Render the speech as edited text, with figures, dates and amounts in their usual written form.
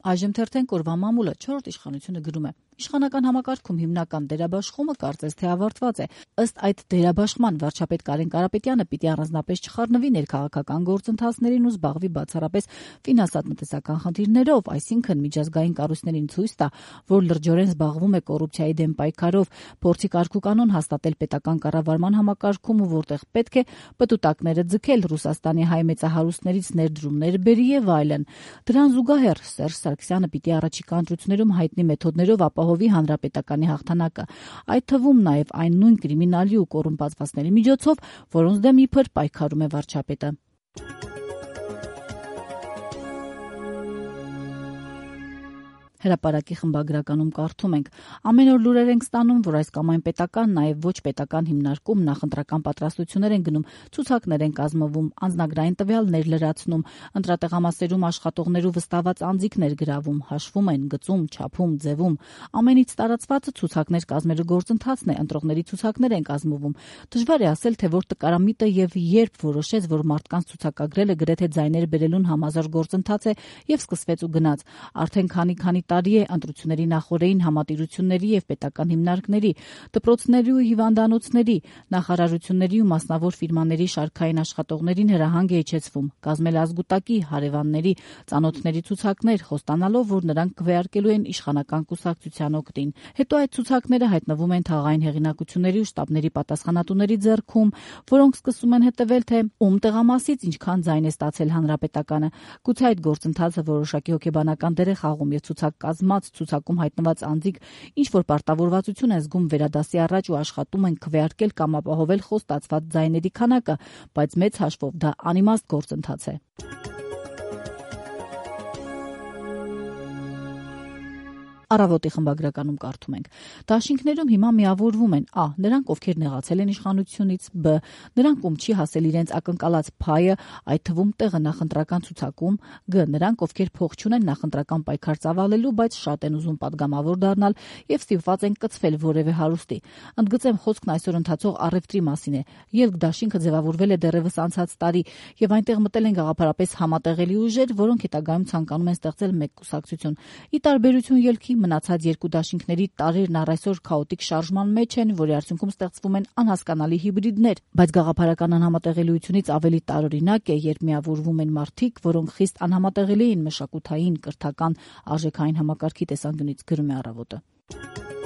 Այժմ թերթենք օրվա մամուլը 4-րդ իշխանությունը գրում է. Իշխանական համակարգում հիմնական դերաբաշխումը կարծես թե ավարտված է։ Ըստ այդ դերաբաշխման վարչապետ Կարեն Կարապետյանը պիտի առանձնապես չխառնվի ներքաղաքական գործընթացներին ու զբաղվի բացառապես ֆինանսատնտեսական խնդիրներով, այսինքն միջազգային կառույցներին ցույց տա, որ լրջորեն զբաղվում է կոռուպցիայի դեմ պայքարով, փորձի կարգուկանոն հաստատել պետական կառավարման համակարգում ու որտեղ պետք է պտուտակները ձգել, Ռուսաստանի հայ մեծահարուստներից ներդրումներ բերի եւ այլն։ Դրան զուգահեռ Սերժ Սարգսյանը պիտի առաջիկա ընտրություններում հայտնի մեթոդներով ապահովի հանրապետականի հաղթանակը, այդ թվում նաև այն նույն կրիմինալի ու կոռումպացվածների միջոցով, որոնց դեմ իբր պայքարում է վարչապետը։ Հրապարակի խմբագրականում կարդում ենք. ամեն օր լուրեր ենք ստանում, որ այս կամ այն պետական, նաև ոչ պետական հիմնարկում նախընտրական պատրաստություններ են գնում, ցուցակներ են կազմվում, անձնագրային տվյալներ լրացնում, ընտրատեղամասերում աշխատողներու վստահված անձիկներ գրավում, հաշվում են, գծում, չափում, ձևում։ Ամենից տարածվածը ցուցակներ կազմելու գործընթացն է, ընտրողների ցուցակներ են կազմվում։ Դժվար է ասել, թե որ տկարամիտը եւ երբ որոշեց, որ մարդկանց ցուցակագրելը գրեթե ձայներ բերելուն համազոր գործընթաց է եւ սկսվեց ու գնաց։ Արդեն քանի տարի է ընտրությունների նախօրեին համատիրությունների եւ պետական հիմնարկների, դպրոցների ու հիվանդանոցների, նախարարությունների ու մասնավոր ֆիրմաների շարքային աշխատողներին հրահանգ է իջեցվում, կազմել ազգուտակի, հարևանների, ծանոթների ցուցակներ, խոստանալով, որ նրանք քվեարկելու են իշխանական կուսակցության օգտին։ Հետո այդ ցուցակները հայտնվում են թաղային հեղինակությունների ու շտաբների պատասխանատուների ձեռքում, որոնք սկսում են հետևել, թե ում տեղամասից ինչքան ձայն է ստացել հանրապետականը։ Գուցե այդ գործընթացը որոշակի հոգեբանական դեր է խաղում եւ ցուցակ կազմած, ցուցակում հայտնված անձիկ ինչ որ պարտավորվածություն են զգում վերադասի առաջ ու աշխատում են քվեարկել կամ ապահովել խոստացված ձայների քանակը, բայց մեծ հաշվով դա անիմաստ գործընթաց է։ Առավոտի խմբագրականում կարդում ենք. դաշինքներում հիմա միավորվում են ա. նրանք, ովքեր նեղացել են իշխանությունից, բ. նրանք, ում չի հասել իրենց ակնկալած փայը, այդ թվում տեղը նախընտրական ցուցակում, գ. նրանք, ովքեր փող չունեն նախընտրական պայքար ծավալելու, բայց շատ են ուզում պատգամավոր դառնալ եւ ստիպված են կցվել որևէ հարուստի։ Ընդգծեմ, խոսքն այսօր ընթացող առևտրի մասին է։ Ելք դաշինքը ձևավորվել է դեռևս անցած տարի եւ այնտեղ մտել են գաղափարապես համատեղելի ուժեր, որոնք հետագայում ցանկանում են ստեղծել մեկ կուսակցություն։ Ի տարբերություն ելքի մնացած երկու դաշինքների տարերն առ այսօր քաոտիկ շարժման մեջ են, որի արդյունքում ստեղծվում են անհասկանալի հիբրիդներ, բայց գաղափարական անհամատեղելիությունից ավելի տարօրինակ է, երբ միավորվում են մարդիկ, որոնք խիստ անհամատեղելի են մշակութային, կրթական, արժեքային համակարգի տեսանկյունից, գրում է Առավոտը։